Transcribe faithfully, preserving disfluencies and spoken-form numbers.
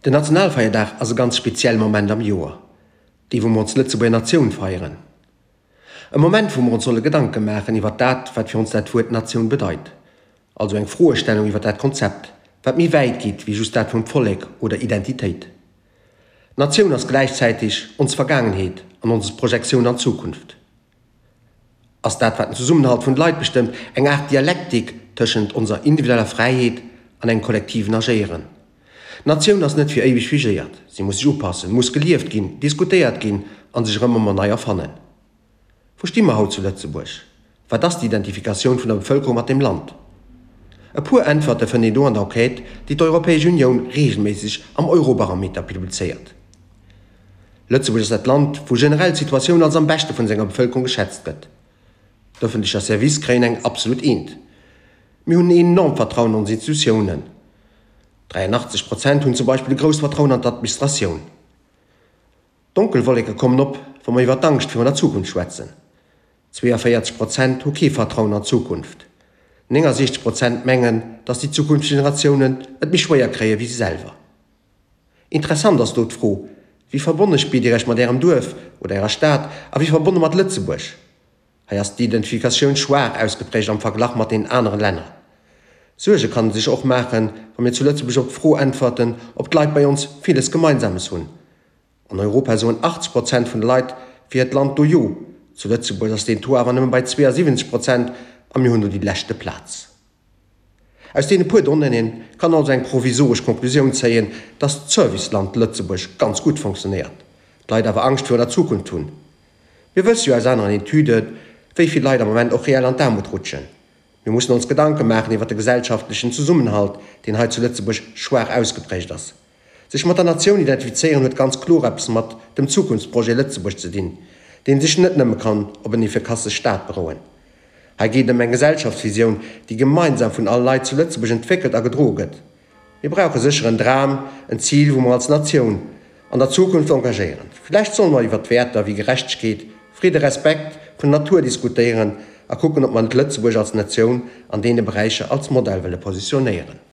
Den Nationalfeierdag ass e ganz spezielle Moment am Joer, dee wou mer ons Lëtzebuerger Natioun feieren. E Moment wou mer ons solle Gedanke maachen iwwer dat, wat fir ons dat Wuert Natioun bedeit. Also eng Froestellung iwwer dat Konzept, wat méi wäit geet wéi just dat vum Vollek oder Identitéit. D'Natioun ass gläichzäiteg ons Vergaangenheet an ons Projektioun an d'Zukunft. Ass dat, wat den Zesummenhalt vun de Leit bestëmmt, eng Aart Dialektik tëschent onser individueller Fräiheet an engem kollektiven Agéieren. D'Natioun ass net fir éiweg figéiert, si muss sech upassen, muss gelieft ginn, diskutéiert ginn a sech erëm ëmmer nei erfannen. Wou sti mer haut zu Lëtzebuerg? Wat ass d'Identifikatioun vun der Bevëlkerung mat dem Land? E puer Äntwerte fënnt een do an der Enquête, déi d'Europäesch Unioun reegelméisseg am Eurobarometer publizéiert. Lëtzebuerg ass dat Land, wou generell d'Situatioun als am beschte vun senger Bevëlkerung geschätzt gëtt. D'ëffentlecher Service kréien eng absolut Eent. Mir hunn en enormt Vertrauen an ons Institutiounen. dräianachtzeg Prozent hunn zum Beispill e grousst Vertrauen an d'Administratioun. Donkel Wolleke kommen op, wa mer iwwer d'Angscht virun der Zukunft schwätzen. Zweeënvéierzeg Prozent hu kee Vertrauen an d'Zukunft. Néngasiechzeg Prozent mengen, datt déi zukünfteg Generatiounen et méi schwéier kréie wéi si selwer. Interessant ass do d'Fro, Wéi verbonne spiert Dir Iech mat Ärem Duerf oder Ärer Stad a wéi verbonne mat Lëtzebuerg? Hei ass d'Identifikatioun schwaach ausgeprägt am Verglach mat den anere Länner. Suerge kann e sech och maachen, wa mir zu Lëtzebuerg op d'Fro äntwerten, ob d'Leit bei ons villes Gemeinsames hunn. An Europa soen achtzeg Prozent vun de Leit fir hiert Land do Jo, zu Lëtzebuerg ass deen Taux awer nëmme bei zweeënsiwwenzeg Prozent a mir hunn do déi leschte Plaz. Aus deene puer Donnéeën kann also eng provisoresch Konklusioun zéien, dass d'Serviceland Lëtzebuerg ganz gutt fonctionnéiert, d'Leit awer Angscht virun der Zukunft hunn. Mir wësse jo aus aneren Etüden, wéi vill Leit am Moment och reell an d'Aarmut rutschen. Mir mussen ons Gedanke maachen iwwer de gesellschaftlechen Zesummenhalt, deen hei zu Lëtzebuerg schwaach ausgeprägt ass. Sech mat der Natioun identifizéieren huet ganz kloer eppes mat dem Zukunftsprojet Lëtzebuerg ze dinn, deen sech net nëmme kann op en efficace Staat berouen. Hei geet et ëm eng Gesellschaftsvisioun, déi gemeinsam vun alle Leit zu Lëtzebuerg entwéckelt a gedroe gëtt. Mir brauche sécher en Dram, en Zil, wou mer als Natioun an der Zukunft engagéieren. Vläicht solle mer iwwert Wäerter wéi Gerechtegkeet, Fridde, Respekt vun der Natur diskutéieren a kucken, ob mer net Lëtzebuerg als Natioun an deene Beräicher als Modell wëlle positionéieren.